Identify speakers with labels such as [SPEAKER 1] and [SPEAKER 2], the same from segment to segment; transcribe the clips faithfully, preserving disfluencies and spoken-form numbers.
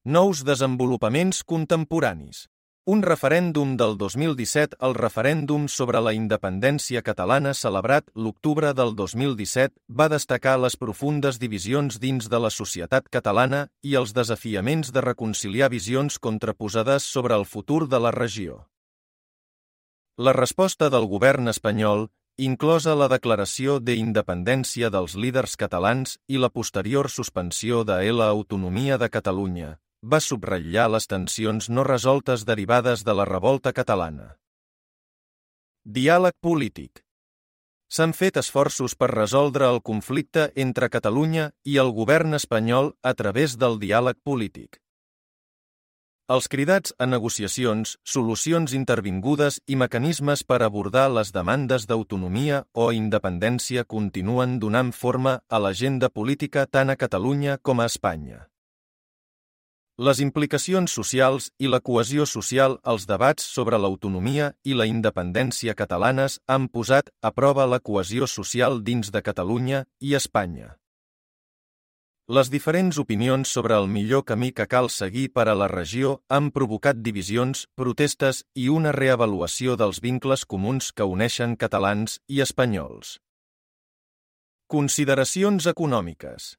[SPEAKER 1] Nous desenvolupaments contemporanis. Un referèndum del dos mil disset. El referèndum sobre la independència catalana celebrat l'octubre del dos mil disset va destacar les profundes divisions dins de la societat catalana i els desafiaments de reconciliar visions contraposades sobre el futur de la regió. La resposta del govern espanyol, inclosa la declaració d'independència dels líders catalans i la posterior suspensió de l'autonomia de Catalunya, va subratllar les tensions no resoltes derivades de la revolta catalana. Diàleg polític. S'han fet esforços per resoldre el conflicte entre Catalunya i el govern espanyol a través del diàleg polític. Els cridats a negociacions, solucions intervingudes i mecanismes per abordar les demandes d'autonomia o independència continuen donant forma a l'agenda política tant a Catalunya com a Espanya. Les implicacions socials i la cohesió social als debats sobre l'autonomia i la independència catalanes han posat a prova la cohesió social dins de Catalunya i Espanya. Les diferents opinions sobre el millor camí que cal seguir per a la regió han provocat divisions, protestes i una reavaluació dels vincles comuns que uneixen catalans i espanyols. Consideracions econòmiques.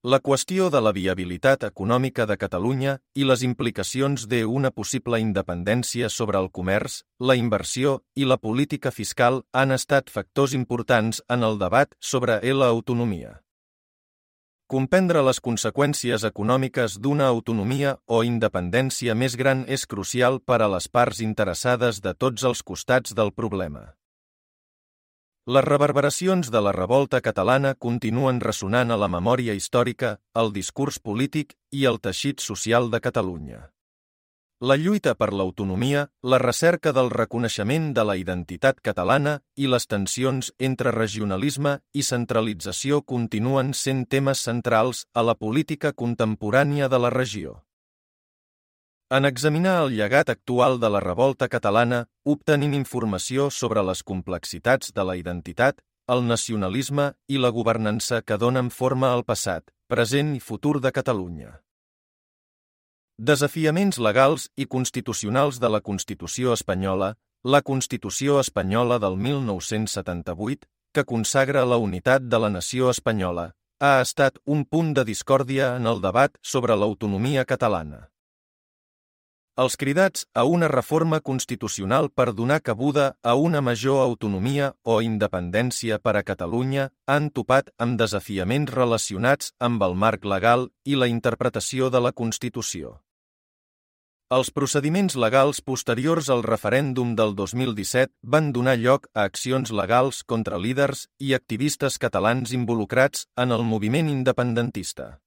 [SPEAKER 1] La qüestió de la viabilitat econòmica de Catalunya i les implicacions d'una possible independència sobre el comerç, la inversió i la política fiscal han estat factors importants en el debat sobre l'autonomia. Comprendre les conseqüències econòmiques d'una autonomia o independència més gran és crucial per a les parts interessades de tots els costats del problema. Les reverberacions de la revolta catalana continuen ressonant a la memòria històrica, al discurs polític i al teixit social de Catalunya. La lluita per l'autonomia, la recerca del reconeixement de la identitat catalana i les tensions entre regionalisme i centralització continuen sent temes centrals a la política contemporània de la regió. En examinar el llegat actual de la revolta catalana, obtenim informació sobre les complexitats de la identitat, el nacionalisme i la governança que donen forma al passat, present i futur de Catalunya. Desafiaments legals i constitucionals de la Constitució espanyola. La Constitució espanyola del mil nou-cents setanta-vuit, que consagra la unitat de la nació espanyola, ha estat un punt de discòrdia en el debat sobre l'autonomia catalana. Els cridats a una reforma constitucional per donar cabuda a una major autonomia o independència per a Catalunya han topat amb desafiaments relacionats amb el marc legal i la interpretació de la Constitució. Els procediments legals posteriors al referèndum del dos mil disset van donar lloc a accions legals contra líders i activistes catalans involucrats en el moviment independentista.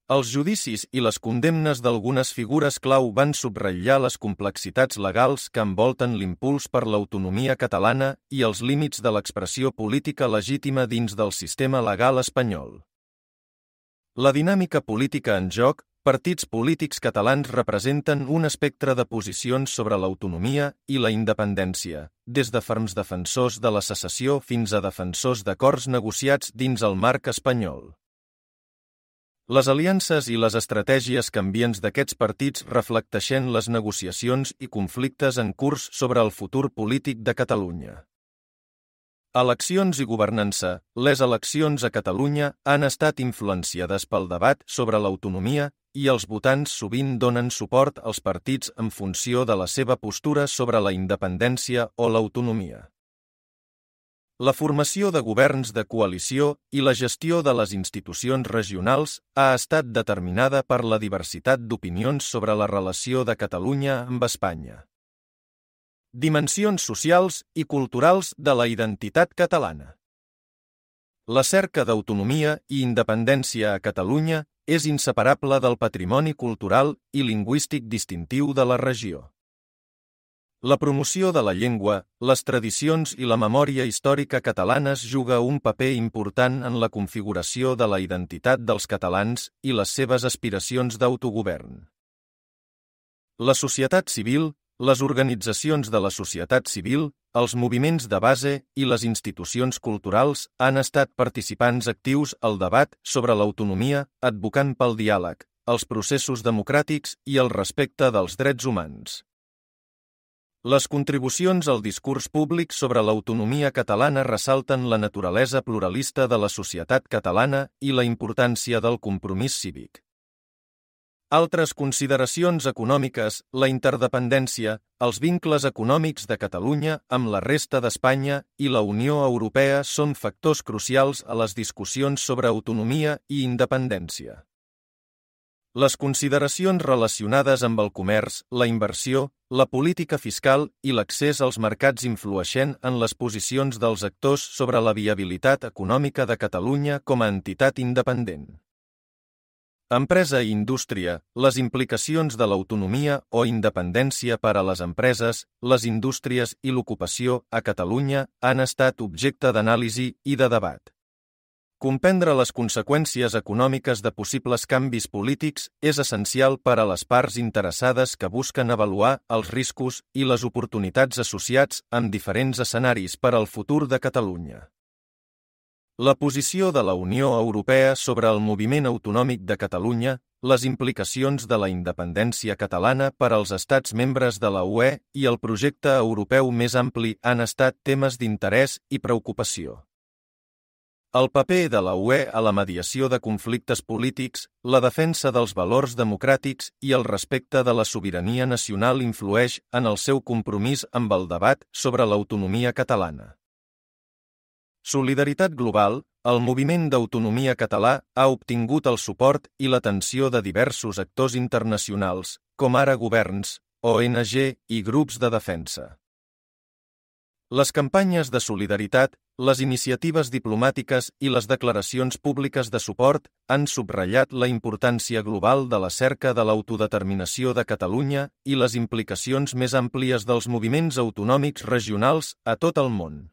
[SPEAKER 1] Els judicis i les condemnes d'algunes figures clau van subratllar les complexitats legals que envolten l'impuls per l'autonomia catalana i els límits de l'expressió política legítima dins del sistema legal espanyol. La dinàmica política en joc, partits polítics catalans representen un espectre de posicions sobre l'autonomia i la independència, des de ferms defensors de la secessió fins a defensors d'acords negociats dins el marc espanyol. Les aliances i les estratègies canviants d'aquests partits reflecteixen les negociacions i conflictes en curs sobre el futur polític de Catalunya. Eleccions i governança. Les eleccions a Catalunya han estat influenciades pel debat sobre l'autonomia i els votants sovint donen suport als partits en funció de la seva postura sobre la independència o l'autonomia. La formació de governs de coalició i la gestió de les institucions regionals ha estat determinada per la diversitat d'opinions sobre la relació de Catalunya amb Espanya. Dimensions socials i culturals de la identitat catalana. La cerca d'autonomia i independència a Catalunya és inseparable del patrimoni cultural i lingüístic distintiu de la regió. La promoció de la llengua, les tradicions i la memòria històrica catalanes juga un paper important en la configuració de la identitat dels catalans i les seves aspiracions d'autogovern. La societat civil, les organitzacions de la societat civil, els moviments de base i les institucions culturals han estat participants actius al debat sobre l'autonomia, advocant pel diàleg, els processos democràtics i el respecte dels drets humans. Les contribucions al discurs públic sobre l'autonomia catalana ressalten la naturalesa pluralista de la societat catalana i la importància del compromís cívic. Altres consideracions econòmiques, la interdependència, els vincles econòmics de Catalunya amb la resta d'Espanya i la Unió Europea són factors crucials a les discussions sobre autonomia i independència. Les consideracions relacionades amb el comerç, la inversió, la política fiscal i l'accés als mercats influeixen en les posicions dels actors sobre la viabilitat econòmica de Catalunya com a entitat independent. Empresa i indústria, les implicacions de l'autonomia o independència per a les empreses, les indústries i l'ocupació a Catalunya han estat objecte d'anàlisi i de debat. Comprendre les conseqüències econòmiques de possibles canvis polítics és essencial per a les parts interessades que busquen avaluar els riscos i les oportunitats associats amb diferents escenaris per al futur de Catalunya. La posició de la Unió Europea sobre el moviment autonòmic de Catalunya, les implicacions de la independència catalana per als estats membres de la U E i el projecte europeu més ampli han estat temes d'interès i preocupació. El paper de la U E a la mediació de conflictes polítics, la defensa dels valors democràtics i el respecte de la sobirania nacional influeix en el seu compromís amb el debat sobre l'autonomia catalana. Solidaritat global, el moviment d'autonomia català ha obtingut el suport i l'atenció de diversos actors internacionals, com ara governs, O N G i grups de defensa. Les campanyes de solidaritat, les iniciatives diplomàtiques i les declaracions públiques de suport han subratllat la importància global de la cerca de l'autodeterminació de Catalunya i les implicacions més àmplies dels moviments autonòmics regionals a tot el món.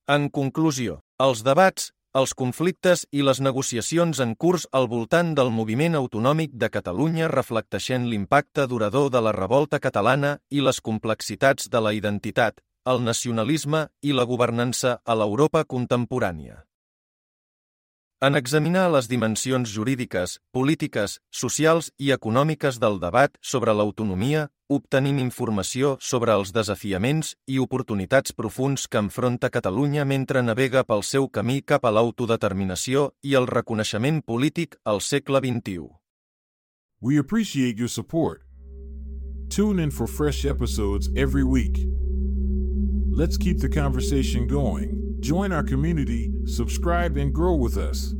[SPEAKER 1] En conclusió, els debats, els conflictes i les negociacions en curs al voltant del moviment autonòmic de Catalunya reflecteixen l'impacte durador de la revolta catalana i les complexitats de la identitat, el nacionalisme i la governança a l'Europa contemporània. En examinar les dimensions jurídiques, polítiques, socials i econòmiques del debat sobre l'autonomia, obtenim informació sobre els desafiaments i oportunitats profunds que enfronta Catalunya mentre navega pel seu camí cap a l'autodeterminació i el reconeixement polític al segle vint-i-u.
[SPEAKER 2] We appreciate your support. Tune in for fresh episodes every week. Let's keep the conversation going. Join our community, subscribe, and grow with us.